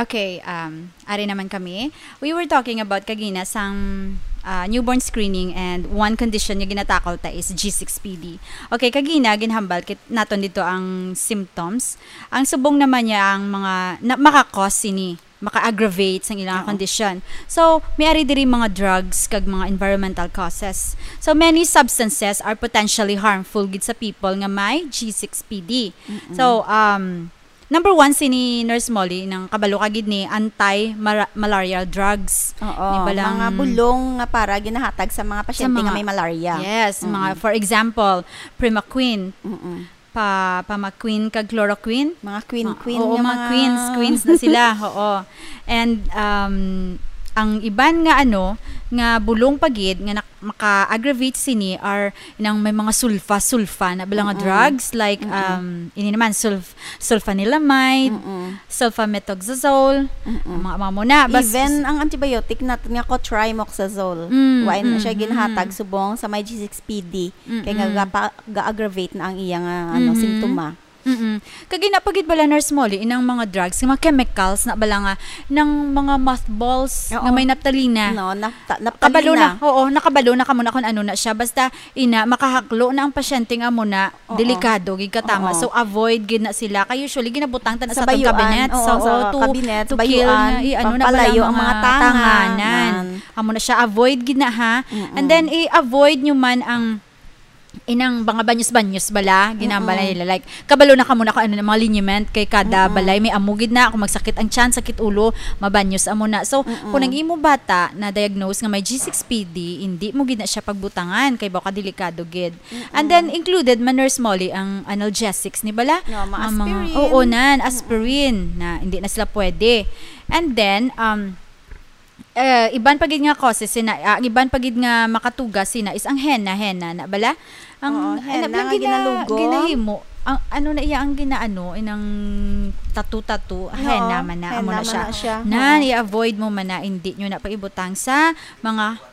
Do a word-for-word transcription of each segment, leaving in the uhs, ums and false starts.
Okay, um, ari naman kami. We were talking about kagina sang, ah, newborn screening, and one condition nga ginatakol ta is G six P D. Okay, kagina ginhambal kit naton dito ang symptoms. Ang subong naman niya ang mga na, maka-cause sini, maka-aggravate sang ilang Oo. condition. So, may ari diri mga drugs kag mga environmental causes. So, many substances are potentially harmful gid sa people nga may G six P D. Mm-mm. So, um, number one, sini Nurse Molly, nang kabalo ka gid ni anti-mara-, malarial drugs. Oo, Ni balang mga bulong nga para ginahatag sa mga sa pasyente nga mga may malaria. Yes, Mm-mm. mga, for example, Primaquine, Mm-mm. pa, Pamaquine kag Chloroquine. Mga queen, Ah, queen oo, nga mga mga queens, queens na sila, oo. And, um, ang iban nga ano, nga bulong pa gid nga nak-, maka-aggravate sini are nang may mga sulfa, sulfa na bala nga Mm-mm. drugs, like, Mm-mm. um, ini naman, sulf-, sulfanilamide, Mm-mm. sulfamethoxazole, Mm-mm. mga, mga muna. Bas- Even ang antibiotic natin nga cotrimoxazole, Mm, wa na siya mm, ginhatag mm. subong sa may G six P D, kay nga Mm-mm. gapa-, ga-aggravate na ang iya nga, ano, Mm-hmm. simptoma. Mm-mm. Kag ina pa gid bala, Nurse Molly, inang mga drugs, mga chemicals na bala nga, nang mga mothballs nga Oo. may naptalina. No, napta-, Kabalo naptalina. na, oo, nakabalo na kamo na kung ano na siya. Basta, ina, makahaklo na ang pasyente nga amo na, Oo. delikado gid katama. Oo. So, avoid gid na sila. Kay usually, ginabutang ta na Sa sa atong bayuan, cabinet. oo, So, sa oo, to, cabinet, to kill bayuan, na, i-, ano na bala pampalayo ang ang mga mga tanganan. tanganan. Amo na siya, avoid gid na, ha? Mm-mm. And then, i-avoid nyo man ang inang mga banyos-banyos bala, ginambala Mm-mm. nila. Like, kabalo na kamo na kung ano na mga liniment kay kada Mm-mm. balay may amo gid na. Kung magsakit ang tiyan, sakit ulo, mabanyos amo na. So, Mm-mm. kung ang imo bata na diagnose nga may G six P D, hindi mo gid na siya pagbutangan kay baka delikado gid. And Mm-mm. then, included man, Nurse Molly, ang analgesics ni bala. No, mga Ang mga, aspirin. oo, nan, Mm-mm. aspirin, na hindi na sila pwede. And then, um, eh, iban pa gid nga causes sina, ah, ang iban pa gid nga makatugas sina is ang henna, henna na bala? Ang, Oo, ang henna lang nga gina-, ginalugom. ginahimo. Ang, ano na iya ang ginaano, inang tattoo-tattoo, Oo, henna man na, amo henna na man siya. na siya. Nan, Oo. i-avoid mo man na, hindi nyo na paibutang sa mga,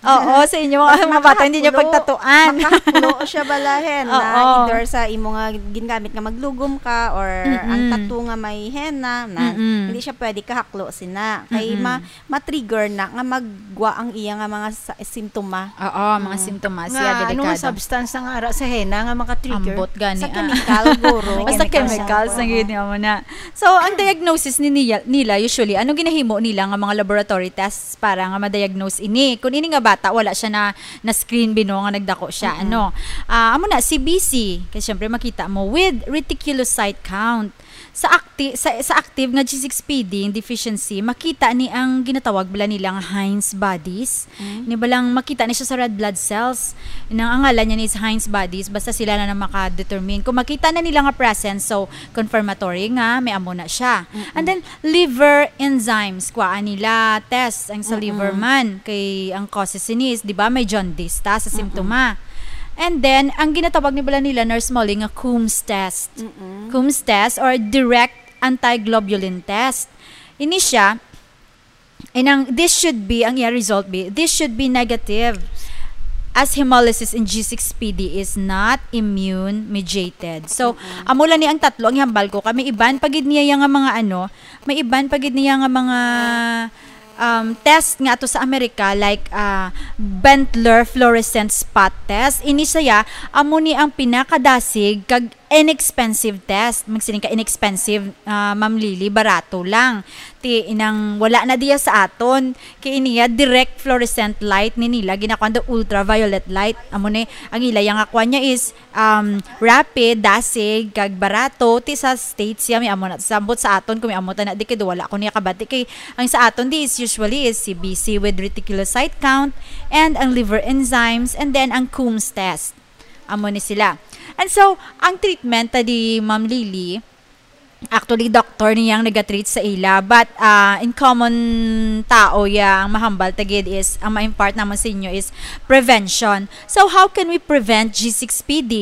oo, sa inyo, Mas mga bata, hindi nyo makahaklo. pagtatuan. Makahaklo siya bala, henna, Oo. either sa imo nga gingamit nga maglugom ka or ang Mm-mm. tattoo nga may henna, na Mm-mm. hindi siya pwede kahaklo sina. Kay Mm-mm. ma-, ma-trigger na nga maggwa ang iya nga mga sa-, simptoma. Oo, mga Mm. simptomas. Nga, Yeah, ano nga delikado. substance ang ara sa henna nga maka-trigger? Ambot gani, Sa ah. chemical, guro. Basta Chemical chemicals sa ang Oo. yun mo na. So, ang diagnosis ni niya, nila, usually, anong ginahimo nila nga mga laboratory tests para nga ma-diagnose ini? Kung ini nga bata, wala siya na, na-screen, bino, nga nagdako siya, Mm-mm. ano? Ah, amo na, C B C. Kay syempre, makita mo, with reticulocyte count. Sa acti-, sa, sa active nga G six P D deficiency, makita ni ang ginatawag bala nila nga Heinz bodies. Mm. Ni balang makita ni siya sa red blood cells. Nang ang ngalan niya is Heinz bodies, basta sila na na maka-determine. Kung makita na nila nga presence, so confirmatory nga may amo na siya. Mm-mm. And then, liver enzymes, kuhaan nila test ang sa Mm-mm. liver man. Kay ang causes ini is, di ba, may jaundice ta sa Mm-mm. simptoma. And then, ang ginatawag ni bala nila, Nurse Molly, nga Coombs test. Mm-mm. Coombs test or direct antiglobulin test. Ini siya, and ang, this should be, ang iya result be, this should be negative, as hemolysis in G six P D is not immune mediated. So, Mm-mm. amo lang ni ang tatlo, ang ihambal ko, kay may iban pa gid niya nga mga ano, may iban pa gid niya nga mga, um, test nga ato sa Amerika, like, ah, Bentler fluorescent spot test. Ini siya, amo ni ang pinakadasig kag inexpensive test. Magsiling ka inexpensive, ah, Ma'am Lily, barato lang. Ti, inang wala na diya sa aton. Kay iniya, direct fluorescent light ni nila, ginakuan daw ultraviolet light. Amo ni, ang ila, yang akuan niya is, um, rapid, dasig, kag barato. Ti sa States siya, may amo na. Sambot sa aton, kung may amo ta na, di kay wala ko niya kabati. Kay ang sa aton, di is usually is C B C with reticulocyte count, and ang liver enzymes, and then ang Coombs test. Amo ni sila. And so, ang treatment ta di, Ma'am Lily, actually, doktor niyang nagatreat sa ila. But, ah, in common tao, ya, ang mahambal ta gid is, ang ma-impart naman sa inyo is prevention. So, how can we prevent G six P D?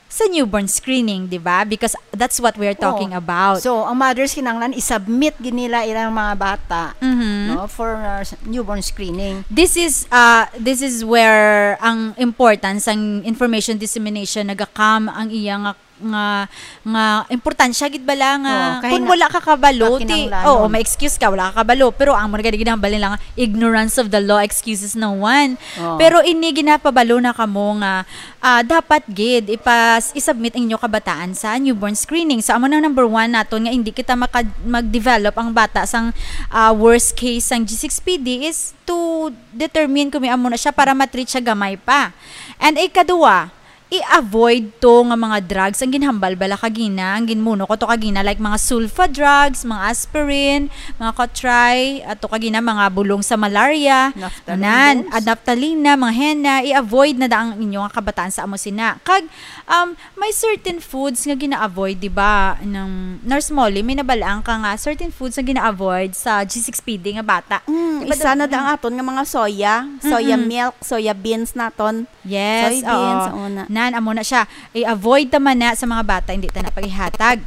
Sa newborn screening, di ba? Because that's what we're talking Oo. about. So, ang mothers kinahanglan i-submit gid nila ilang mga bata, Mhm. no, for, uh, s-, newborn screening. This is, uh, this is where ang importance ang information dissemination naga-come ang iya nga nga, nga importansya gid bala nga Oo, kay kung na- wala ka kabalo, ti, kakinahanglanon. Oo, may excuse ka, wala ka kabalo, pero amo na gani ginahambal nila nga ignorance of the law excuses no one. Oo. Pero ini ginapabalo na kamo nga, ah, dapat gid ipas isubmit ang inyo kabataan sa newborn screening. So amo na number one naton nga hindi kita maka, mag-develop ang bata sang, ah, worst case sang G six P D is to determine kung may amo na siya para ma-treat siya gamay pa. And ikaduha, i-avoid to nga mga drugs ang ginhambal bala kagina, ang ginmuno ko to kagina, like mga sulfa drugs, mga aspirin, mga kotray, ato kagina mga bulong sa malaria, Naphthalene nan, balls. At naphthalene, mga henna, i-avoid na da ang inyo nga kabataan sa amo sina. Kag um, may certain foods nga gina-avoid, di ba? Nang Nurse Molly, may nabalaan ka nga certain foods nga gina-avoid sa G six P D nga bata. Mm, Di ba isa da- na da ang aton nga mga soya, soya Mm-mm. milk, soya beans naton. Yes, Soybeans, oo. Una. Nan, amo na siya. I-avoid ta man na sa mga bata, hindi ta na paghihatag.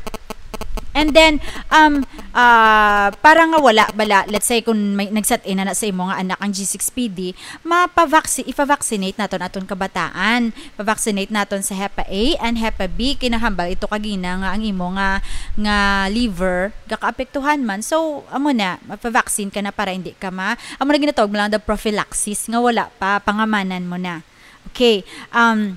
And then, um, ah, para nga wala bala, let's say, kung may nagsat-in na, na sa imo nga anak ang G six P D, mapavaccine, ipa-vaccinate naton aton kabataan. Pa-vaccinate naton sa hepa A and hepa B. Kinahambal ito kagina nga ang imo nga, nga liver gakaapektuhan man. So, amo na, mapa-vaccine ka na para hindi ka ma-, amo na ginatawag mo lang the prophylaxis nga wala pa, pangamanan mo na. Okay. Um,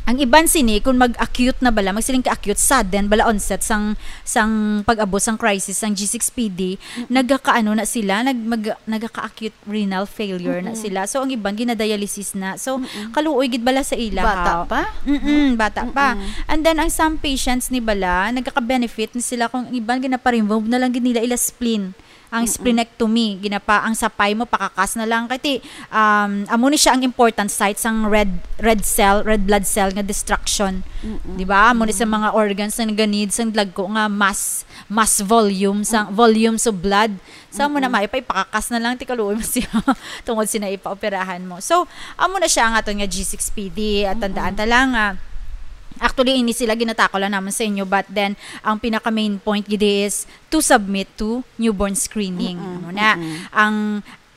ang iban sini, kung mag-acute na bala, magsiling ka acute, sudden bala onset sang, sang pag-abot sang crisis sang G six P D, nagakaano na sila, nag, mag, nagaka-acute renal failure na Mm-mm. sila. So, ang iban, ginadialysis na. So, Mm-mm. Kaluoy gid bala sa ila, Bata ha? pa? Mm-mm, bata pa. Mm-mm. And then, ang some patients ni bala, nagaka-benefit na sila kung ang iban, ginapa-remove na lang gid nila ila spleen. Ang Mm-mm. splenectomy, ginapa, ang sapay mo, pakakas na lang. Kay ti, um, amo ni siya ang important site sang red, red cell, red blood cell nga destruction. Mm-mm. Di ba? Amo ni sa mga organs na nag-need sang dagko nga mass, mass volume, sa volumes of blood. Sa amo na Mm-mm. may pa, ipakakas na lang, ti kaluoy mo siya. Tungod sina ipaoperahan mo. So, amo na siya ang aton nga G six P D. At tandaan Mm-mm. ta lang nga, actually, ini sila ginatako lang naman sa inyo, but then, ang pinaka main point gid is to submit to newborn screening. Mm-mm, Amo na. mm-mm. Ang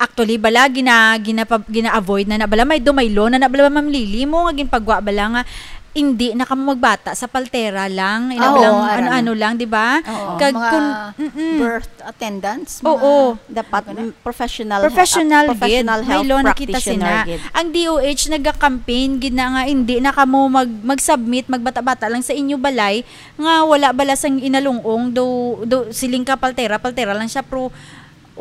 actually bala gina, gina, gina-avoid na na bala, may dumaylo na na bala, Ma'am Lily, mo nga ginpagwa bala nga hindi na kamo magbata sa paltera lang, ina Oo, lang, ara na. Ano-ano lang, di ba? Oo, Kag mga kun, mm-mm. Birth attendants, mga Oo. Dapat Ano? mm, professional, Professional ah, professional gid. health May law na kita practitioner sina. gid. Ang D O H nagka-campaign gid na nga hindi na kamo mag, mag-submit, magbata-bata lang sa inyo balay nga wala bala sang inalungong, do, do siling ka paltera, paltera lang siya, pero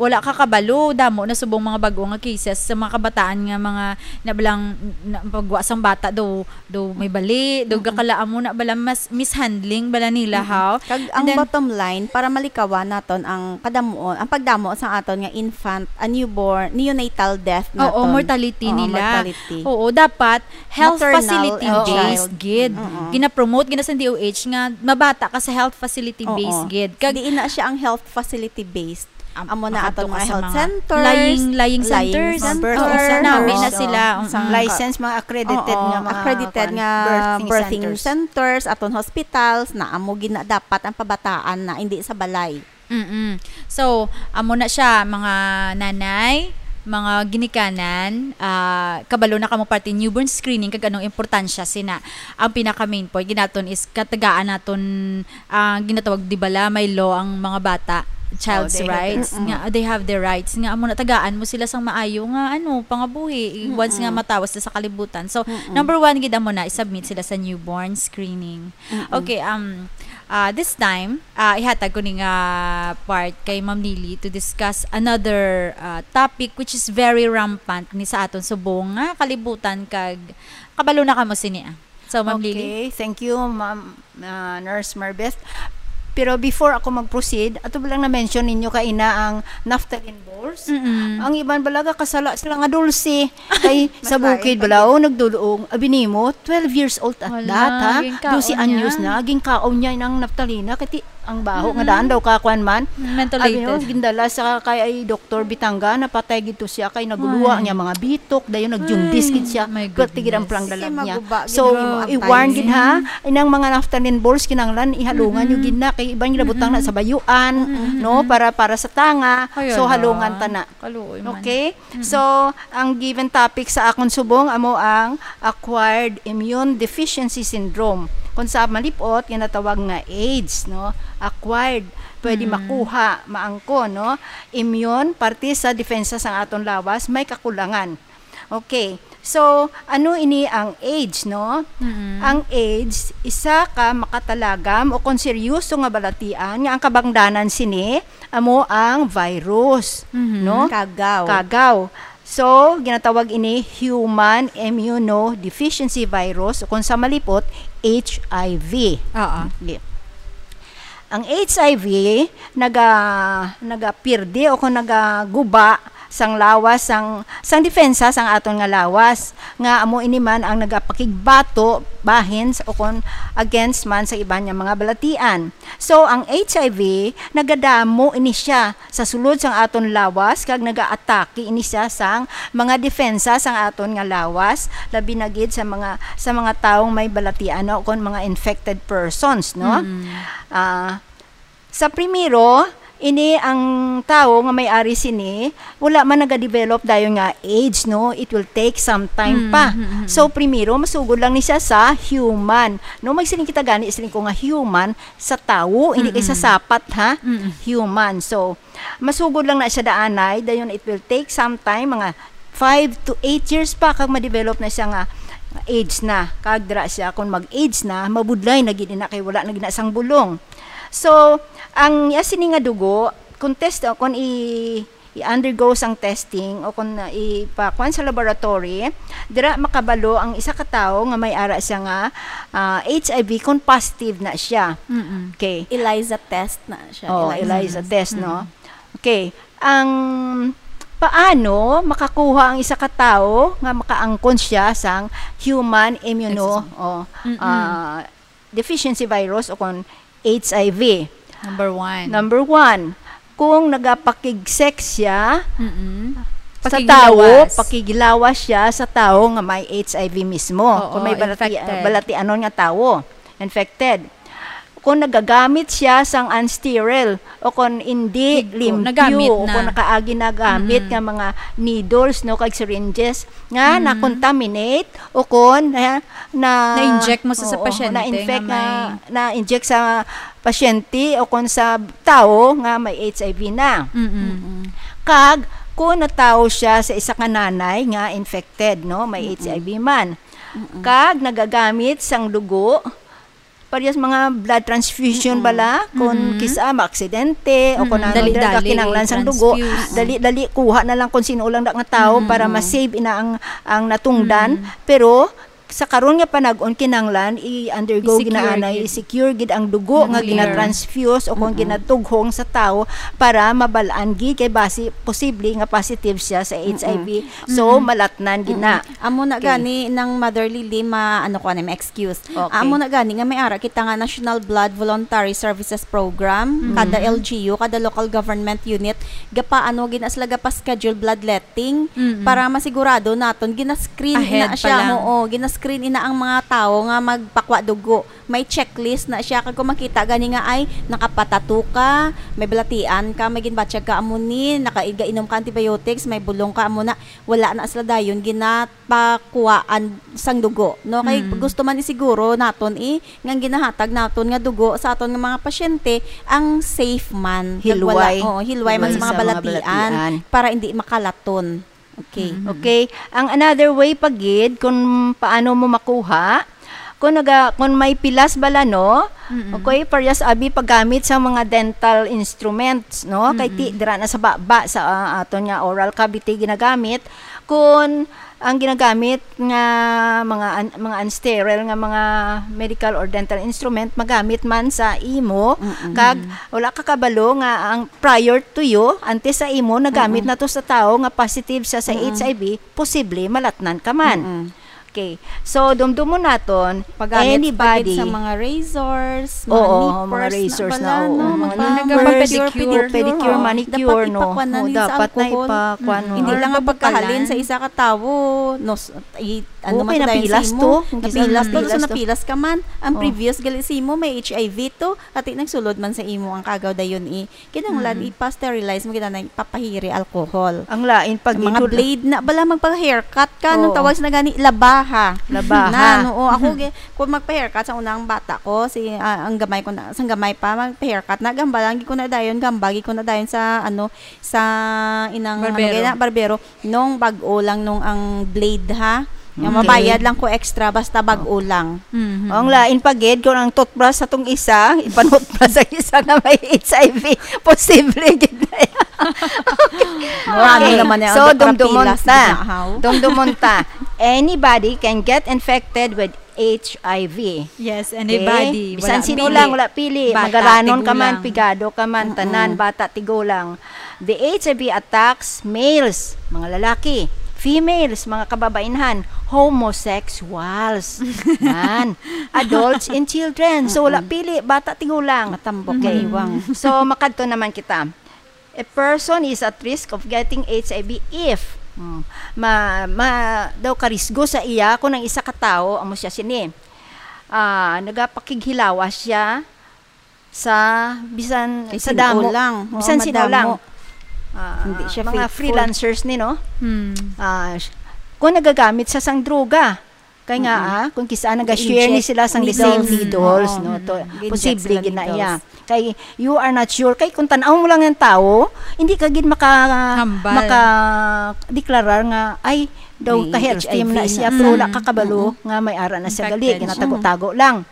wala ka kabalo, damo na subong mga bag-o nga cases sa mga kabataan nga mga nabalang na, pagwa sang bata do, do may bali, do Mm-mm. gakalaam mo na bala mas mishandling bala nila, Mm-mm. How? Kag And ang then, bottom line, para malikawan naton ang kadamuon, ang pagdamo sa aton nga infant, a newborn, neonatal death Oo, naton. Mortality Oo, nila. Mortality. Oo, dapat health Maternal facility and based child. gid. Mm-mm. Gina-promote gina sa D O H nga mabata ka sa health facility Oo. Based gid. Kag Diin na siya ang health facility based. Am-, Amo na ato mga health centers, Lying, lying centers. Mga Oo, birthing nami na centers, sila. oo. Mm. Sang License, mga accredited Oo, nga mga accredited kwan, nga birthing birthing centers. Centers, aton hospitals, na amo gina dapat ang pabataan na hindi sa balay. Mm-mm. So, amo na siya, mga nanay, mga ginikanan, ah, kabalo na kamo parte newborn screening kag anong importansya sina. Ang pinaka main point ginaton is katagaan naton, ah, ginatawag di bala may law ang mga bata, child's Oh, they have their rights Mm-mm. nga they have their rights nga amo na tagaan mo sila sang maayo nga ano, pangabuhi once nga Mm-mm. matawas na sa kalibutan. So, Mm-mm. number one gid amo na i-submit sila sa newborn screening. Mm-mm. Okay, um, ah, this time, ah, ihatag ko ni nga part kay Ma'am Lily to discuss another, ah, topic which is very rampant ni sa aton subong nga kalibutan kag kabalo na kamo sini, ah. So, Ma'am Lily. Okay, thank you, Ma'am, ah, Nurse Marbeth. Pero before ako mag-proceed, ato ba lang na-mention ninyo kaina ang naphthalene balls? Mm-mm. Ang iban balaga kasala sila nga dulce. Kay sa Mas lain bukid pa bala, oh, nagdulong, abi nimo, twelve years old at Wala, that, ha? ginkaon Dose anyos niya. Na, ginkaon niya ng naptalina, kay ti-, ang baho nga Mm-mm. daan daw kakuan man. Mental Abi no, latest. gindala sa kay ay Doktor Bitanga, napatay gid to siya kay naguluwa Ay. niya mga bitok, dayon nagjundis Ay, gid siya. my Pwerte gid ang goodness. panglalag Kasi niya. maguba gid So, ang imong i-warn antayin. Gid ha, inang mga naphthalene balls kinahanglan ihalungan nyo Mm-mm. gid na kay iban ginabutangan na Mm-mm. sa bayuan, Mm-mm. No, para para sa tanga. Ay, So ala. halungan ta na. Kaluoy man. Okay? Mm. So, ang given topic sa akon subong amo ang acquired immune deficiency syndrome. Kung sa malipot, ginatawag nga AIDS, no? Acquired, pwede Mm. makuha, maangkon, no? Immune, parte sa depensa sang aton lawas, may kakulangan. Okay. So, ano ini ang AIDS, no? Mm-mm. Ang AIDS, isa ka makatalagam o kon seryoso nga balatian nga ang kabangdanan sini amo ang virus, Mhm. no? Kagaw. Kagaw. So, ginatawag ini human immunodeficiency virus o kung sa malipot, H I V. Oo. Okay. Ang H I V naga-, nagapirdi o kung nagaguba sang lawas sang, sang depensa sang aton nga lawas, nga amo ini man ang nagapakigbato bahin s-, o kon against man sa iban nga mga balatian. So, ang H I V, nagadamo ini siya sa sulod sang aton lawas, kag nagaatake ini siya sang mga depensa sang aton nga lawas, labi na gid sa mga, sa mga taong may balatian o kon mga infected persons, no? Mm. Ah, sa primero, ini ang tawo nga may ari sini, wala man nagadevelop dayon nga AIDS, no? It will take some time Mm, pa. mm, mm, mm. So, primero, masugod lang ni siya sa human. No, magsiling kita gani, siling ko nga human sa tawo, hindi kay sa Mm, mm. sapat, ha? Mm, mm. Human. So, masugod lang na siya daanay, dayon it will take some time, mga five to eight years pa, kag ma-develop na siya nga AIDS na. Kag dira siya, kung mag-AIDS na, mabudlay na gid na kay wala na gid na sang bulong. So, ang iya sini nga dugo, kung test, o kung i-, i-undergo sang testing, o kung, uh, ipakuan sa laboratory, dira makabalo ang isa ka tawo nga may ara siya nga, ah, H I V kung positive na siya. Mm-mm. Okay. ELISA test na siya, Oh, ELISA. ELISA test, no? Mm. Okay. Ang paano makakuha ang isa ka tawo nga makaangkon siya sang human immuno-, Excuse me. oh, Mm-mm. ah, deficiency virus o kon H I V. Number one. Number one, kung nagapakig-sex siya Mm-mm. sa Pakiglawas. tawo, pakiglawas siya sa tawo nga may H I V mismo. Oo, Kung may balati-, infected. balatianon nga tawo, infected. Kung nagagamit siya sang unsterile o kung hindi Higko, limpyo nagamit o na. kung nakaagi nagamit Mm-mm. nga mga needles, no, kag syringes nga Mm-mm. na-contaminate o kung na, na Na-inject mo sa, sa Oo, pasyente na-infect nga nga, may na-inject sa pasyente o kon sa tawo nga may H I V na. Mm-mm. Mm-mm. Kag kung natawo siya sa isa ka nanay nga infected, no, may Mm-mm. H I V man. Mm-mm. Kag nagagamit sang dugo, parehas mga blood transfusion Mm-mm. bala, kung Mm-mm. kisa maaksidente o kung Mm-mm. ano, Dali-dali, dali ka kinahanglan sang dugo, transfuse. dali-dali kuha na lang kung sino lang na nga tawo Mm-mm. para ma-save ina ang, ang natungdan. Mm-mm. Pero sa karon nga panag-on, kinahanglan i-undergo I-clear ginaanay, gid. i-secure gid ang dugo nga I-clear. ginatransfuse o kung Mm-mm. ginatughong sa tawo para mabal-an gid kay basi posible nga positive siya sa Mm-mm. H I V. So, Mm-mm. malatnan gid na. Mm-mm. Amo na Okay. gani nang Mother Lily, ma-, ano ko, ano, ma-excuse. Okay. Amo na gani nga may ara kita nga National Blood Voluntary Services Program, Mm-hmm. kada L G U, kada local government unit, gapaano gid na sila gapa-schedule bloodletting Mm-mm. para masigurado naton gina-screen Ahead ina pa siya, lang. oo, gina-screen ina ang mga tawo nga magpakwa dugo. May checklist na siya. Kag kung makita gani nga, ay, nakapatato ka, may balatian ka, may ginbatyag ka, amo ni, naka-, gainom ka antibiotics, may bulong ka, amo na, wala na sila dayon ginapakuhaan sang dugo, no? Kay Mm. gusto man isiguro naton, eh, nga ang ginahatag naton nga dugo sa aton nga mga pasyente ang safe man. Kag wala, Hilway. oo, hilway man Hilway sa mga sa mga balatian balatian. para hindi makalaton. Okay. Mm. Okay. Ang another way pa gid kung paano mo makuha, kung naga-, kung may pilas bala, no? Mm-mm. Okay, parehas abi paggamit sa mga dental instruments, no? Kay ti-, Mm-mm. dira na sa baba, sa, ah, aton nga oral cavity ginagamit. Kung ang ginagamit nga mga un-, mga unsterile nga mga medical or dental instrument magamit man sa imo, Mm-mm. kag wala ka kabalo nga ang prior to you, antes sa imo, nagamit Mm-mm. na to sa tawo nga positive siya sa Mm-mm. H I V, posible malatnan ka man. Mm-mm. Okay. So, dumdumon naton, Paggamit pa gid anybody. sa mga razors, mga Oo, nippers mga razors na na, bala, oo, no? mga Mga nippers, pedicure, pedicure, pedicure, oo. manicure, Dapat no? ipakuan na Oo, yun sa dapat na alcohol. ipakuan, Mm. no? Hindi Or lang ang pagkahalin mabukalan. sa isa ka tawo, no, s-, i-, ano Okay, man to dayon sa napilas imo? to. Kung kisa Napilas to, napilas so to. napilas ka man. Ang Oh. previous gali sa imo, may H I V to. Ati nagsulod man sa imo ang kagaw dayon, eh. Kinahanglan Mm. ipa-sterilize mo, kinahanglan ipapahiri alcohol. Ang lain pag Ang mga ikot- blade na, bala magpa-haircut ka, anong Oo. tawag sa na gani? Laba. Aha. Labaha. Na, no, o, ako, gi-, kung magpa-haircut sa unang bata ko, si, ah, ang gamay ko na, sang gamay pa, magpa-haircut na, gamba lang, gi ko na dayon, gamba, gi ko na dayon sa, ano, sa inang, ano, Barbero. Gaya na, barbero, nung bag-o lang, nung ang blade, ha? Nga Okay. mabayad lang ko extra, basta bag-o lang. Mhm. Ang lain pa gid, kung ang toothbrush sa tong isa, ipanutbrush sa isa nga may H I V, posible gid na yan. Marami Okay. naman yan. So, Ang dumdumon kapila, ta. sige na, haw. Dumdumon ta. Anybody can get infected with H I V. Yes, Okay? anybody. Bisan Wala sino pili. lang, wala pili. Bata, Magaranon ka man, tigulang. pigado ka man, Mm-mm. tanan, bata, tigulang. The H I V attacks males, mga lalaki, females, mga kababainhan, homosexuals, man, adults and children. So, wala Mm-mm. pili, bata, tigulang. Matambok, Okay. maniwang. So, makadto naman kita. A person is at risk of getting H I V if, mm, ma, ma, daw karisgo sa iya kung ang isa ka tawo, amo siya sini. Ah, nagapakighilawas siya sa bisan Kay sa sino damo. lang. Oo, Bisan sino madamo. lang. Ah, Hindi siya mga faithful. freelancers ni, no? Hmm. Ah, sh-, kung nagagamit siya sang droga, kay nga, Mm-mm. ah, kung kisa nag-share ni Inject sila sang the same needles. needles, Oo. no? To, Mm-mm. Inject posible sila gid na iya. needles. Kay you are not sure. Kay kung tan-aw mo lang ang tawo, hindi ka gid maka-, Hambal. maka-deklarar nga, "Ay, daw May ka-healthy H I V man na siya, na. pero wala Mm. ka kabalo Mm-mm. nga may ara na siya gali, Infected. ginatago-tago lang."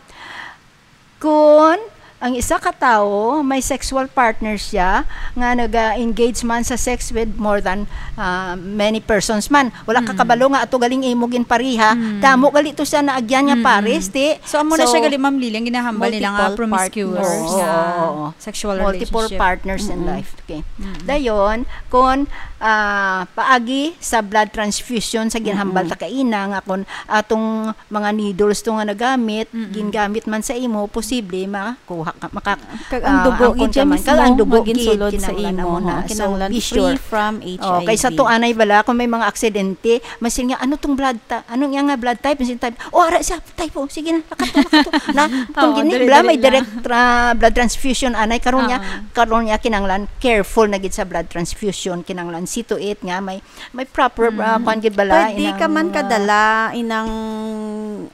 Kung ang isa ka tawo may sexual partner siya nga naga-engage man sa sex with more than, ah, many persons man, wala ka Mm. kabalo nga ato galing imo ginpariha, Mm. damo gali to siya naagyan nga Mm-mm. pares, ti. So, amo na So, siya gali, Ma'am Lily, ang ginahambal nila nga multiple promiscuous partners. Oo, nga oo, oo. sexual Multiple relationship. partners in Mm-mm. life. Okay. Mm-mm. Dayon, kung, ah, paagi sa blood transfusion sa ginahambal Mm-mm. ta kaina nga kung atong mga needles to nga nagamit, Mm-mm. gingamit man sa imo, posible makuha ka, maka-, Kag ang ah, dugo angkon gid ka siya man. Kag mismo ang dugo nga ginsulod gid, sa kinahanglan imo, amo na. ha? So, Kinahanglan be free sure. from Oh, H I V. kaysa to anay bala, kung may mga aksidente, masin nga, "Ano tong blood ta-, ano niya nga blood type?" Masin type, "Oh, ara siya, type O. Sige na, nakato, nakato." Na, kung Oo, gini, dire-dire bala, may lang. direct tra-, blood transfusion, anay, karon niya, Oo. karon niya, kinahanglan, careful na gid sa blood transfusion, kinahanglan, see to it nga, may May proper, ah, Mm. kwan gid bala, Pwede inang, ka man ah, kadala, inang,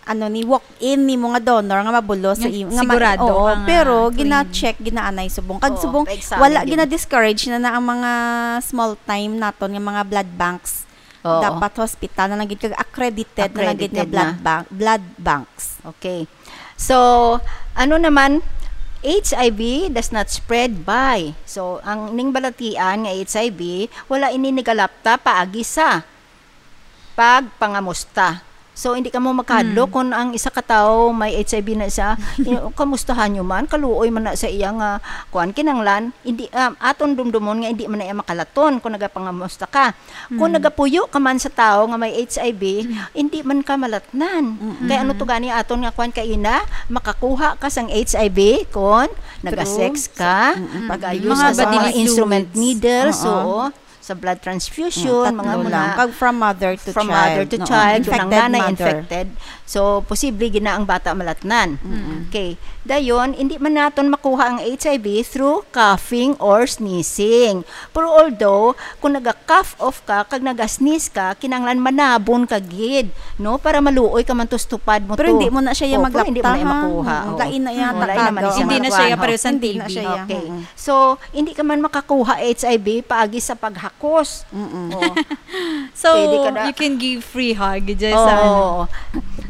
ano, ni walk-in ni mga donor nga mabulos sa Nga i-, nga ma-, sigurado oo, ka nga pero clean. gina-check, ginaanay subong. Kag Oo, subong, pa-examine wala gid. gina-discourage na na ang mga small time naton nga mga blood banks. Oo. Dapat hospital na lang gid kag accredited na lang gid nga Accredited blood na. bank, blood banks. Okay. So, ano naman, H I V does not spread by. So, ang ning balatian nga H I V, wala ini nigalapta paagi sa pagpangamusta. So, hindi kamo makahadlok Hmm. kung ang isa ka tawo may H I V na siya, you know, kamustahan nyo man, kaluoy man na sa iya nga, kuwan, kinanglan, hindi, um, aton dumdumon nga hindi man na iya makalaton kung nagapangamusta ka. Kung Mm. nagapuyo ka man sa tawo nga may H I V, Mm. hindi man ka malatnan. Mm-mm. Kay ano to gani aton nga kwan kaina, makakuha ka sang H I V kung True. nagasex ka, Mm-mm. nag-use Mga ka sa mga bodily instrument fluids. needles, Oo. oo, sa blood transfusion, Mm, tatlo mga muna. lang. Kag from mother to From child. mother to Oo, child, kung ang infected nanay mother. infected. So, posible gid na ang bata malatnan. Mm-mm. Okay. Dayon, hindi man naton makuha ang H I V through coughing or sneezing. Pero although, kung naga-cough off ka, kag naga-sneeze ka, kinahanglan manabon ka gid, no? Para maluoy ka man to sa tupad mo Pero to. hindi mo na siya Oh, pero hindi mo na maglapta, ha? makuha. Mm, Oh. lain na iya Oh, lain naman tagaga. siya Hindi na siya makuha, iya oh. pareho sa Hindi na T B. siya iya, Okay. mm-mm. So, hindi ka man makakuha H I V paagi sa paghakos. Mm-mm. Oh. So, Pwede ka na. you can give free hug, just sa ano. Oo.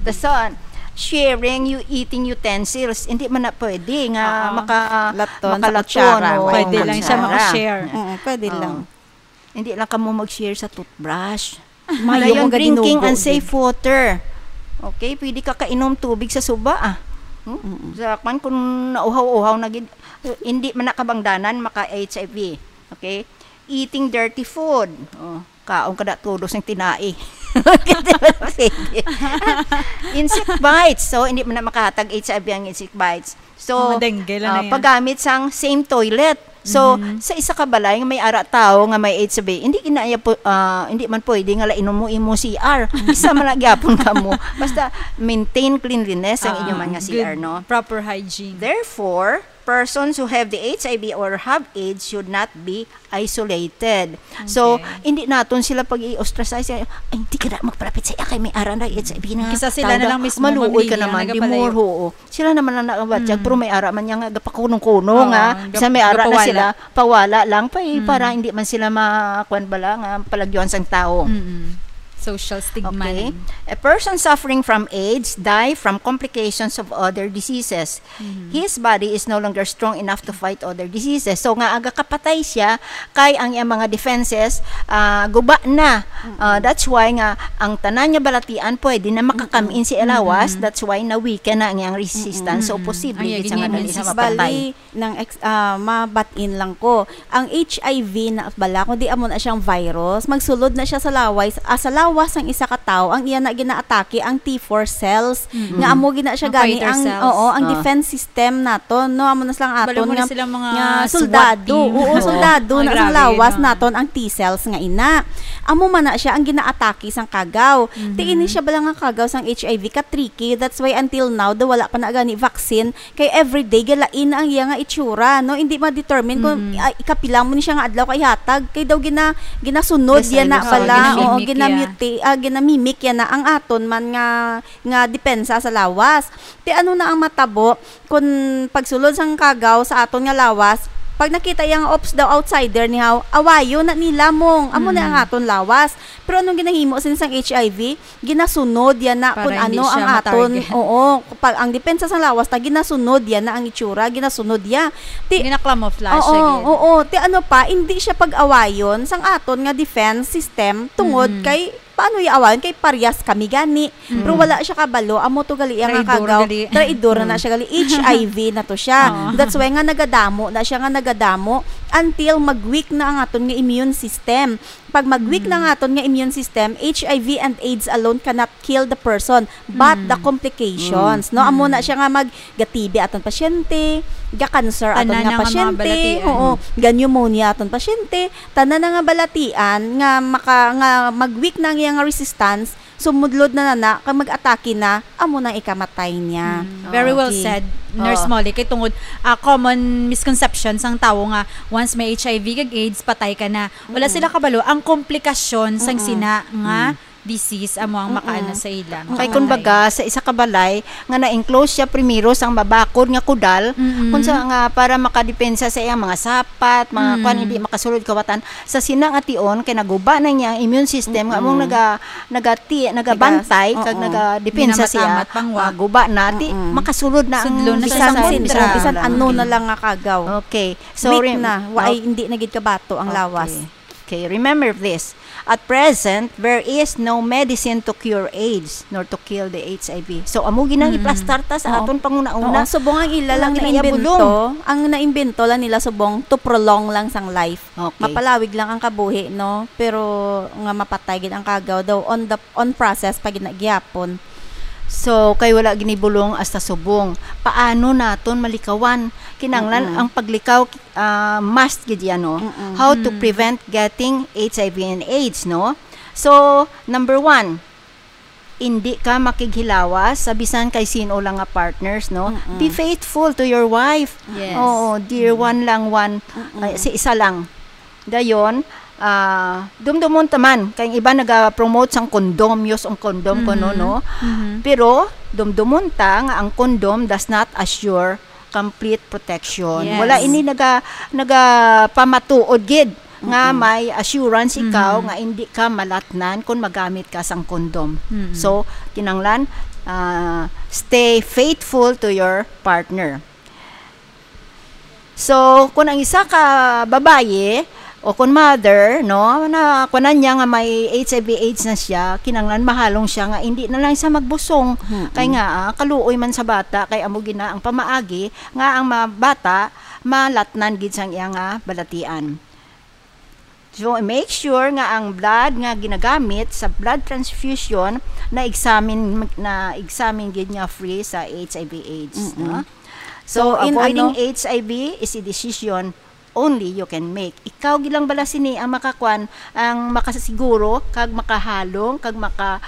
Tas, ah, sharing you eating utensils, hindi man na pwede nga Oo. maka-, Laton sa makalaton, kutsara, oo, Pwede lang siya kutsara. maka-share. Mm, pwede Oo. lang. Hindi lang kamo mag-share sa toothbrush. Mayo Dayon, mo drinking gadinugo, and safe gid. water. Okay, pwede ka kainom tubig sa suba, ah. Hmm? Mm-mm. Sa kwan, kung nauhaw-uhaw na gid, hindi man na kabangdanan, maka-H I V. Okay? Eating dirty food. Oh, kaon ka na tulos ng tinai. Insect bites. So, hindi man na makahatag H I V ang insect bites. So, Mga dengue lang ah, na yan. paggamit sang same toilet. So, Mhm. sa isa ka balay nga may ara tao nga may H I V, hindi gina-, iya po, ah, hindi man pwede nga lainom mo imo C R. Isa man na gyapon kamo. Basta maintain cleanliness ang Ah, inyo man nga good, C R, no? proper hygiene. Therefore, Persons who have the H I V or have AIDS should not be isolated. So, Okay. hindi naton sila pag-i-ostracize. "Ay, hindi ka na magparapit sa iya kay may ara na H I V na." Kisa sila na Tawag lang mismo, Ma'am Maluoy ka Lia, naman, di nagapalayo. more, oo. Sila naman ang nakabatyag, Mm. pero may ara man niya nga gapakunong-kuno Oo, nga. Bisan may ara na gapawala. sila, pawala lang pa eh, para Mm. hindi man sila ma-, kwan bala nga palagyuan sang tao. Mm-mm. Social stigma Okay. na. A person suffering from AIDS die from complications of other diseases. Mhm. His body is no longer strong enough to fight other diseases. So, nga aga kapatay siya, kay ang iyang mga defenses, ah, guba na. Mm-mm. Ah, that's why nga ang tanan nga balatian pwede na makakam-in Mm-mm. sa lawas. Mm-mm. That's why na-weaken na ang iyang resistance. So, Mm-mm. posible Ang gid siya nga iyang dali immune siya system. mapatay. Bali, nang ex-, ah, mabatin lang ko. Ang H I V na bala, kundi amo na siyang virus, magsulod na siya sa laway, ah, sa lawas sang isa ka tawo, ang iya na ginaatake ang T four cells, Mm. nga amo gina siya Ang gani fighter ang, cells. oo, ang Ah. defense system naton, no? Amo na silang Balo aton mo na nga, silang mga nga SWAT soldado. team. Oo, Oo. soldado Ang na sang grabe, lawas no? naton ang T cells nga ina. Amo man na siya ang ginaatake sang kagaw. Mhm. Ti ini siya bala nga kagaw sang H I V ka tricky. That's why until now, daw wala pa na gani vaccine. Kay everyday galain ang iya nga itsura, no? Hindi ma-determine kung, Mm. ah, ikapila mo ni siya nga adlaw kay hatag, kay daw gina-, ginasunod yan na Recycle. bala, Oo, oo, ginamimik gina-, yan. muti-, ah, ginamimik yan na ang aton man nga, nga depensa sa lawas. Ti ano na ang matabo kung pagsulod sang kagaw sa aton nga lawas, pag nakita iya nga, "Ops," daw, "outsider ni haw," awayo na nila mong, amo na ang Mm. aton lawas. Pero anong ginahimo sin sang H I V? Ginasunod yan na Para kung hindi ano siya ang aton, ma-target. oo, pag ang depensa sang lawas ta, ginasunod yan na ang itsura, ginasunod ya. Ti-, Gina-camouflage oo, siya gid. oo. Ti ano pa, hindi siya pag-awayon sang aton nga defense system tungod Mm. kay, paano ya awayon? Kay paryas kami gani. Mm. Pero wala siya kabalo, amo to gali iya nga Traidor kagaw. gali. Traidor na Mm. siya gali. H I V na to siya. Oo. That's why nga nagadamo na siya, nga nagadamo until mag-weak na ang aton nga immune system. Pag mag-weak na Mm. nga aton nga immune system, H I V and AIDS alone cannot kill the person, but the Mm. complications, Mm. no? Amo na Mm. siya nga mag-, ga-T B aton pasyente, ga-cancer aton Tanan nga na nga mga pasyente, balatian. oo, ga-pneumonia aton pasyente, tanan na nga balatian nga maka-, nga mag-weak na ang iya nga resistance, sumudlod na na, na, kag mag-atake na, amo nang ikamatay niya. Mm, very well Okay. said, Nurse Oo. Molly. Kay tungod, ah, common misconception sang tawo nga once may H I V kag AIDS, patay ka na. Wala Mm-mm. sila kabalo ang komplikasyon sang Mm-mm. sina nga Mm. disease amo ang Mm-mm. makaano sa ila. Mm-mm. Kay Makamatay. kumbaga, sa isa ka balay nga na-enclose siya primero sang mabakod nga kudal, Mm-mm. kung sa nga para makadepensa sa iyang mga sapat, mga Mm. kwan, hindi makasulod kawatan. Sa sina nga tion, kay naguba na niya ang immune system, nga among Mm-mm. naga-, nagati-, nagabantay, Tigas. kag Oo. nagadepensa siya, Ginamatamat pang wa. ah, guba na, ti, Mm-mm. makasulod na ang Sudlo na siya bisan sa sa sindro, kontra. bisan ano na lang nga kagaw. Okay. So, Weak rem-, na. Wa-, ay, okay. hindi na gid kabato ang Okay. lawas. Okay, remember this. At present, there is no medicine to cure AIDS nor to kill the H I V. So, amo ginang Mm. iplastar ta sa Oo. aton panguna-una. Oo, subong ang ila Wala lang gina iya naimbento, bulong. ang naimbento lang nila subong to prolong lang sang life. Okay. Mapalawig lang ang kabuhi, no? Pero nga mapatay gid ang kagaw daw on the, on process pa gid na gihapon. So, kay wala ginibulong hasta subong. Paano naton malikawan? Kinanglan Mm-mm. ang paglikaw, ah, must gid yan, no? Mm-mm. How to Mm. prevent getting H I V and AIDS, no? So, number one, hindi ka makighilawas sa bisan kay sino lang nga partners, no? Mm-mm. Be faithful to your wife. Yes. Oo, dear Mm. one lang, one, Mm-mm. ay, si isa lang. Dayon, ah, dumdumon ta man, kay ang iba naga-promote sang condom, use ang condom, kuno, Mhm. no? Mhm. Pero, dumdumon ta nga ang condom does not assure complete protection. Yes. Wala ini naga-, nagapamatuod gid nga Mm-mm. may assurance ikaw Mhm. nga hindi ka malatnan kung magamit ka sang condom. Mm-mm. So, kinanglan, ah, stay faithful to your partner. So, kung ang isa ka babayi o kung mother, no, na kunan niya nga may H I V AIDS na siya, kinanglan mahalong siya nga hindi na lang siya magbusong. Mm-mm. Kay nga, ah, kaluoy man sa bata, kay amo gina ang pamaagi nga ang mga bata malatnan gid sang iya nga balatian. So, make sure nga ang blood nga ginagamit sa blood transfusion na-examine, na-examine gid nga free sa H I V AIDS, Mm-mm. no? So, So, in avoiding ano H I V is a decision only you can make. Ikaw gid lang bala sini ang makakwan, ang makasiguro, kag makahalong, kag maka-,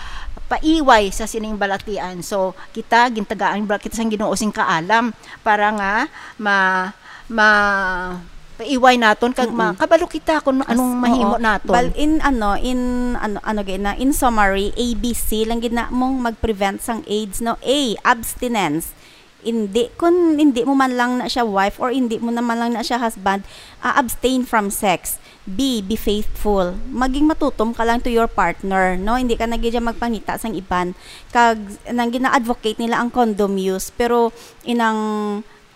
paiway sa sining balatian. So, kita, gintagaan bala kita sang Ginoo sing kaalam para nga ma-, ma-, paiway naton kag Mm-mm. makabalo kita kung As-, anong mahimo oo. naton. Bal-, in ano, in ano, ano gid na, in summary, A B C lang gid na mong mag-prevent sang AIDS, no? A, abstinence. Hindi, kung hindi mo man lang na siya wife or hindi mo naman lang na siya husband, ah, abstain from sex. B, be faithful. Maging matutom ka lang to your partner, no? Hindi ka na gid siya magpangita sang iban. Kag, nang gina-advocate nila ang condom use, pero inang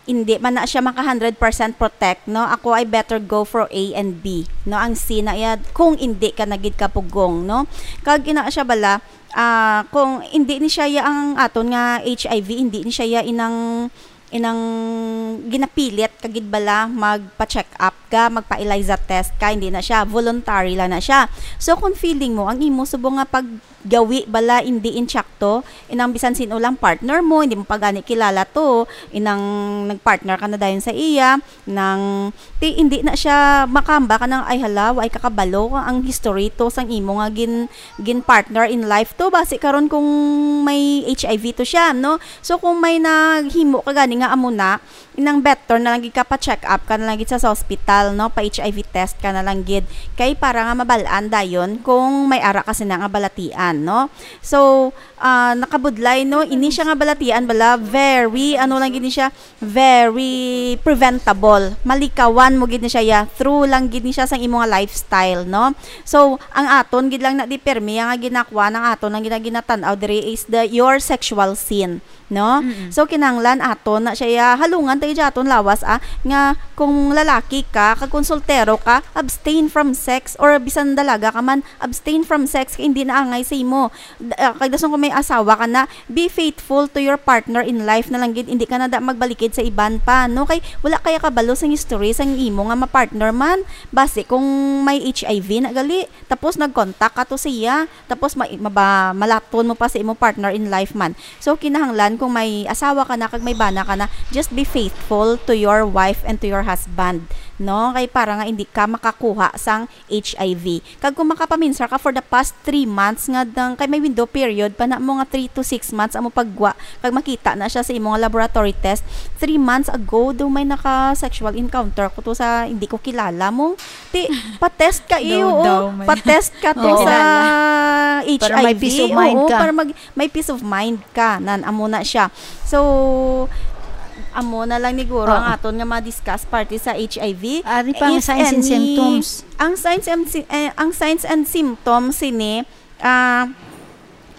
hindi man na siya maka hundred percent protect, no? Ako, I better go for A and B, no? Ang C na iya, kung hindi ka na gid kapugong, no? Kag ina siya bala, ah, kung hindi ni siya ya ang aton nga H I V, hindi ni siya ya inang, inang ginapilit ka gid bala magpa-check up ka, magpa-ELISA test ka, hindi na siya, voluntary lang na siya. So, kung feeling mo, ang imo subong nga paggawi bala hindi insakto, inang bisan sino lang partner mo, hindi mo pa gani kilala to, inang nag-partner ka na dayon sa iya, nang ti, hindi na siya makamba ka nang, "Ay hala, wa ay kakabalo ang history to sang imo nga gin-, gin-partner in life to. Basi karon kung may H I V to siya, no?" So, kung may naghimo ka gani nga amo na, inang better na lang gid ka pa-check up ka na lang gid sa, sa hospital, no? Pa-H I V test ka na lang gid. Kay para nga mabal-an dayon kung may ara ka sina nga balatian, no? So, ah, nakabudlay, no? Ini siya nga balatian bala, very, ano lang gid ni siya, very preventable. Malikawan mo gid ni siya, ya, through lang gid ni siya sang imo nga lifestyle, no? So, ang aton gid lang na di permi nga ginakuan, ang aton lang gid na ginatan-aw diri is the, your sexual sin, no? Mm-mm. So, kinahanglan aton na siya, ya, halungan tayo dyan aton lawas, ah, nga kung lalaki ka, kag kung soltero ka, abstain from sex, or bisan dalaga ka man, abstain from sex, kay hindi na angay sa imo. D-, ah, kag dason kung may asawa ka na, be faithful to your partner in life na lang gid, hindi ka na da magbalikid sa iban pa, no? Kay wala kaya kabalo sang history sang imo nga ma-partner man. Basi kung may H I V na gali, tapos nag-contact ka to siya, tapos ma-, maba-, malaton mo pa sa imo partner in life man. So, kinahanglan kung may asawa ka na kag may bana ka na, just be faithful to your wife and to your husband, no? Kay para nga hindi ka makakuha sang H I V. Kag kung makapaminsar ka for the past three months nga dang, kay may window period pa na mo nga three to six months amo pagwa, kag makita na siya sa imo nga laboratory test, three months ago daw may naka-sexual encounter ko to sa hindi ko kilala mo. Ti, pa-test ka, eh, Daw, oo. daw, may Pa-test ka to Oo. sa Kilala. Para may H I V. peace of mind Oo, ka. para mag-, may peace of mind ka. Nan, amo na siya. So, amo na lang niguro Oo. ang aton nga ma-discuss parte sa H I V. Ari pa ang If signs and any, symptoms. ang signs and sy-, eh, ang signs and symptoms sini, ah,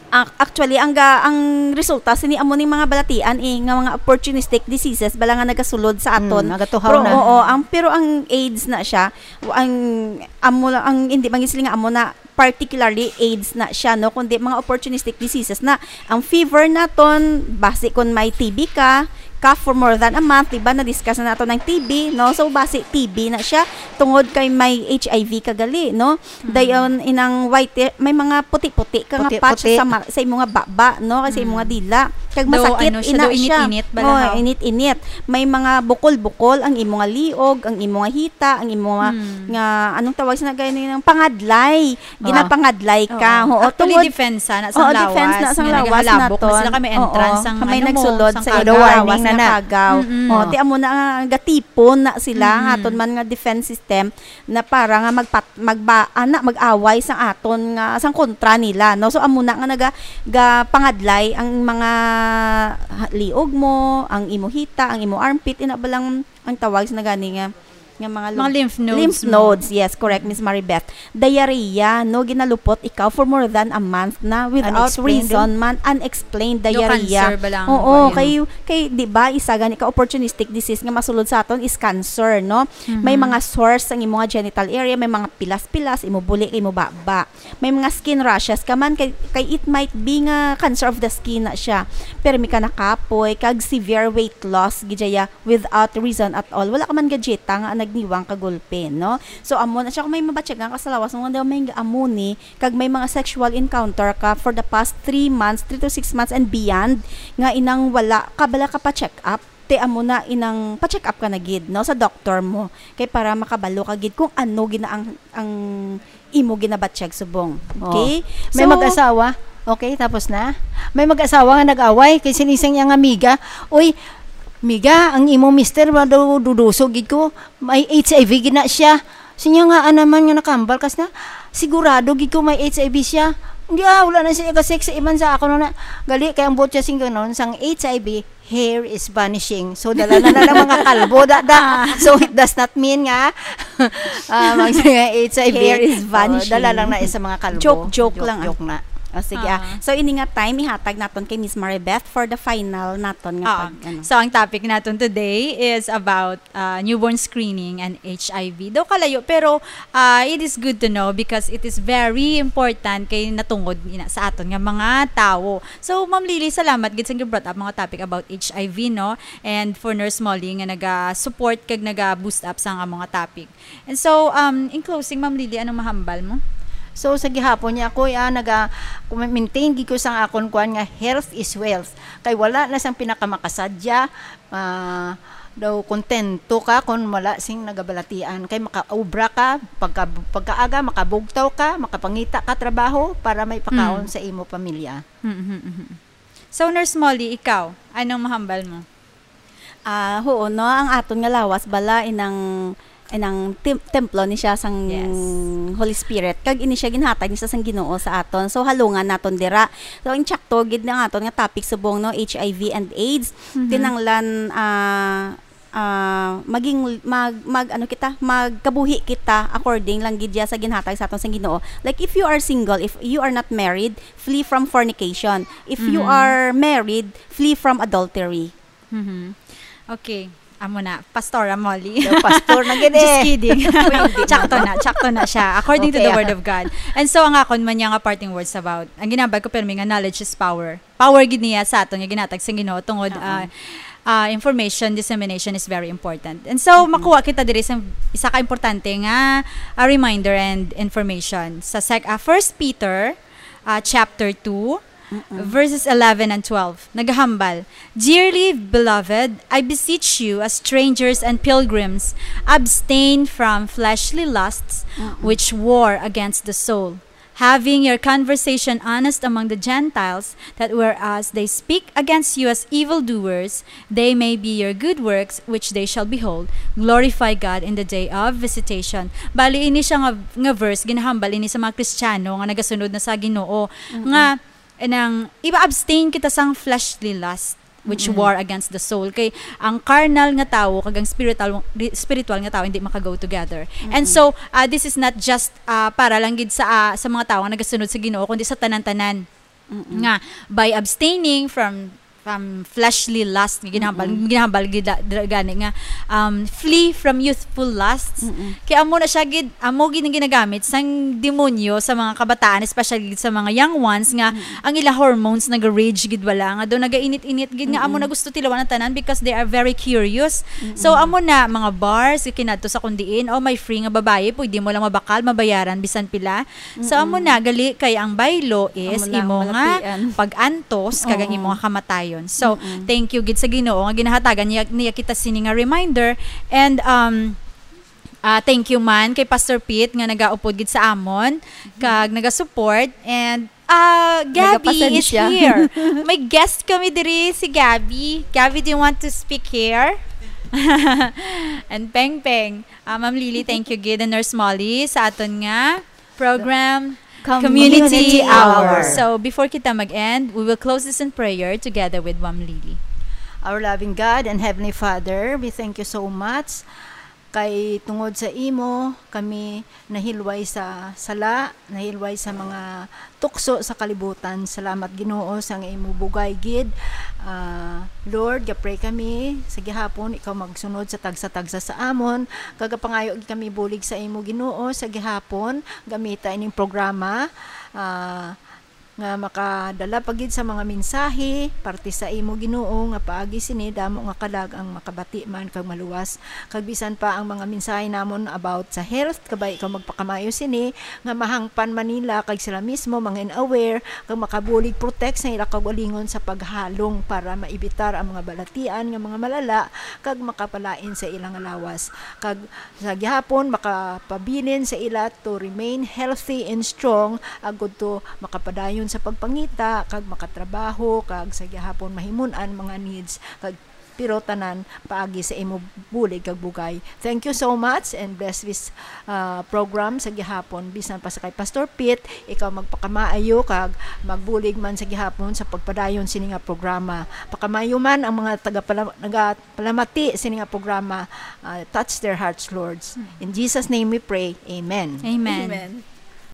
ac-, actually, ang ga-, ang resulta sini amo ning mga balatian, eh, nga mga opportunistic diseases bala nga nagasulod sa Mm, aton. nagatuhaw Pero, na. oo, ang, pero ang AIDS na siya, w-, ang, amo lang, ang, hindi man gid sila nga amo na particularly AIDS na siya, no, kundi mga opportunistic diseases na. Ang fever naton, basi kung may T B ka, cough for more than a month, di ba, na-discuss na nato ng T B, no? So, basi T B na siya, tungod kay may H I V ka gali, no? Mm. Dayon, inang white, may mga puti-puti ka nga Puti-puti. patch sa ma-, sa imo nga baba, no? Kay sa imo nga Mm. dila. Kag Daw, masakit, ano siya, ina daw siya. init-init, Oh, balahaw. init-init. May mga bukol-bukol ang imo nga liog, ang imo nga hita, ang imo nga, Mm. nga, anong tawag sa nagay ng pangadlay? Oo. Ginapangadlay ka. Oo. Oo, Actually, tungod depensa na sang Oo, lawas. depensa na sang Nga lawas nagahalabok na naton. sila kami Oo, entrance sang, kami ano mo, nagsulod sang sa kagaw. inyong lawas Warning na nga na. kagaw. Mm-mm. Oh, ti amo na nga gatipon na sila, Mm-mm. aton man nga defense system na para nga magpat-, magba-, ana, mag-away sang aton nga, sang kontra nila, no? So, amo na nga naga-, gapangadlay ang mga ha-, liog mo, ang imo hita, ang imo armpit, ina ba lang ang tawag sa nagani nga, nga mga Mga lum-, lymph nodes lymph mo. nodes, yes, correct, Miss Maribeth. Diarrhea, no, ginalupot ikaw for more than a month na without Unexplained, reason eh. man, unexplained No diarrhea. cancer ba lang Oo, ba yun? kay, kay, di ba, isa gani ka opportunistic disease nga masulod sa aton is cancer, no? May Mhm. mga sores ang imo nga genital area, may mga pilas-pilas, imo buli, imo baba. May mga skin rashes ka man, kay, kay it might be nga cancer of the skin na siya. Pero may ka nakapoy, kag severe weight loss, gid siya without reason at all. Wala ka man gadjeta nga nagniwang ka gulpi, no? So, amo na siya. Kung may mabatyagan ka sa lawas mo, nga daw may amo ni, kag may mga sexual encounter ka for the past three months, three to six months and beyond, nga inang wala ka bala ka pa-check up, te amo na inang pa-check up ka na gid, no, sa doktor mo. Kay para makabalo ka gid kung ano gid na ang, ang imo ginabatyag subong. Oh. Okay? May So, mag-asawa? Okay, tapos na. May mag-asawa nga nag-away kay sinising niya nga, "Miga, uy, miga, ang imo mister ba daw duduso gid ko? May H I V gid na siya." Sinya nga, "Ano man nga nakambal kas na? Sigurado gid ko may H I V siya." Hindi, ah, wala na siya ka-sex sa iban sa ako na. Gali kay ang buot siya sing ganon sang H I V, hair is vanishing. So, dala na lang ng mga kalbo, da, da. So, it does not mean nga, ah, mag-, H I V. Hair is Oh, vanishing. Dala lang na sa mga kalbo. Joke, joke lang, ah. Joke na. Oh, sige, ah. Ah. So, ini nga time, ihatag naton kay Miss Maribeth for the final naton nga Ah. pag, ano. So, ang topic naton today is about, ah, newborn screening and H I V. Daw kalayo, pero, ah, it is good to know because it is very important kay natungod ina sa aton nga mga tawo. So, Ma'am Lily, salamat gid sa gi-brought up mga topic about H I V, no? And for Nurse Molly nga naga-support kag naga-boost up sa nga mga topic. And so, um, in closing, Ma'am Lily, anong mahambal mo? So, sa gihapon niya, ako, ah, naga-, maintain gid ko sang akon kuan nga health is wealth. Kay wala na sang pinakamakasadya, ah, daw kontento ka kung wala sing nagabalatian. Kay makaobra ka, pagka-, pagkaaga, makabugtaw ka, makapangita ka trabaho para may pakaon Mm. sa imo pamilya. Mm-hmm, mm-hmm. So, Nurse Molly, ikaw, anong mahambal mo? Ah, huo, no, ang aton nga lawas bala inang, inang tem-, templo ni siya sang Yes. Holy Spirit, kag ini siya ginhatag ni siya sang Ginoo sa aton. So, halungan naton dira. So, ang tsakto gid ang aton nga topic subong, no, H I V and AIDS. Mhm. Kinahanglan, ah, ah, maging, mag, mag, ano kita, magkabuhi kita according lang gid ya sa ginhatag sa aton sang Ginoo. Like, if you are single, if you are not married, flee from fornication. If you Mhm. are married, flee from adultery. Mhm. Okay. Amo na, Pastora Molly. Daw pastor na gid Just eh. kidding. Pwede na Tsakto ba? na, tsakto na siya, according to Okay, the ah. Word of God. And so, ang akon man niya nga parting words about, ang ginambal ko, pero may nga, knowledge is power. Power gid niya sa aton nga ginhatag sa Ginoo tungod, Oo. ah, ah, information dissemination is very important. And so, Mhm. makuha kita diri sa isa ka importante nga, ah, reminder and information. Sa sec-, ah, First Peter, ah, chapter two, Mm-mm. verses eleven and twelve, nagahambal, "Dearly beloved, I beseech you, as strangers and pilgrims, abstain from fleshly lusts Mm-mm. which war against the soul, having your conversation honest among the Gentiles, that whereas they speak against you as evildoers, they may be your good works, which they shall behold, glorify God in the day of visitation." Bali, ini siya nga, nga verse, ginahambal ini sa mga Kristiyano nga nagasunod na sa Ginoo, Mm-mm. nga, nang, iba abstain kita sang fleshly lust, which Mm-mm. war against the soul. Kay ang carnal nga tawo kag ang spiritual, spiritual nga tawo hindi maka-go together. And Mm-mm. so, ah, this is not just, ah, para lang gid sa, ah, sa mga tawo nga nagasunod sa Ginoo, kundi sa tanan-tanan. Mm-mm. Nga, by abstaining from, from fleshly lust, nga ginahambal, Mm-mm. ginahambal gid da-, dira gani nga, um, flee from youthful lusts. Mm-mm. Kay amo na siya gid, amo gid ang ginagamit sang demonyo sa mga kabataan, especially gid sa mga young ones, nga Mm-mm. ang ila hormones naga-rage gid wala, nga daw nagainit-init gid, nga amo Mm-mm. na gusto tilawan ang tanan because they are very curious. So, Mm-mm. amo na, mga bars, kinadto sa kundiin, "Oh, may free nga babayi, pwede mo lang mabakal, mabayaran, bisan pila." So, amo Mm-mm. na, gali kay ang baylo is Amo lang, imo nga malapian. pag-antos kag ang Oo. imo nga kamatayon. So, Mm-mm. thank you gid sa Ginoo nga ginahatagan niya, niya kita sini nga reminder. And, um, ah, thank you man kay Pastor Pete nga nagaupod gid sa amon, kag nagasupport. And, ah, Gabby is Nagapasensya. here. May guest kami diri, si Gabby. Gabby, do you want to speak here? And Peng Peng. Ah, Ma'am Lily, thank you gid. And Nurse Molly, sa aton nga program, Community Community Hour. Hour. So, before kita mag-end, we will close this in prayer together with Ma'am Lily. Our loving God and Heavenly Father, we thank you so much kay tungod sa imo kami nahilway sa sala, nahilway sa mga tukso sa kalibutan. Salamat, Ginoo, sa nga imo bugay gid. Ah, Lord, ga-pray kami sa gihapon, ikaw magsunod sa tagsa-tagsa sa amon. Kagapangayo gid kami bulig sa imo, Ginoo, sa gihapon. Gamita ining programa, ah, nga makadala pa gid sa mga mensahe parte sa imo, Ginoo, nga paagi sini damo nga kalag ang makabati man kag maluwas. Kag bisan pa ang mga mensahe namon about sa health, kabay ikaw magpakamayo sini, nga mahangpan man nila kag sila mismo mangin aware, kag makabulig protect sa ila kaugalingon sa paghalong para maibitar ang mga balatian nga mga malala kag makapalain sa ila nga lawas. Kag sa gihapon, makapabilin sa ila to remain healthy and strong, agud to makapadayon sa pagpangita, kag makatrabaho, kag sa gihapon mahimun-an mga needs, kag pero tanan paagi sa imo bulig kag bugay. Thank you so much and bless this uh, program sa gihapon. Bisan pa sa kay Pastor Pete, ikaw magpakamaayo kag magbulig man sa gihapon sa pagpadayon sini nga programa. Pakamayo man ang mga tagapala- nagapalamati sini nga programa. Uh, touch their hearts, Lord. In Jesus' name we pray. Amen. Amen. Amen.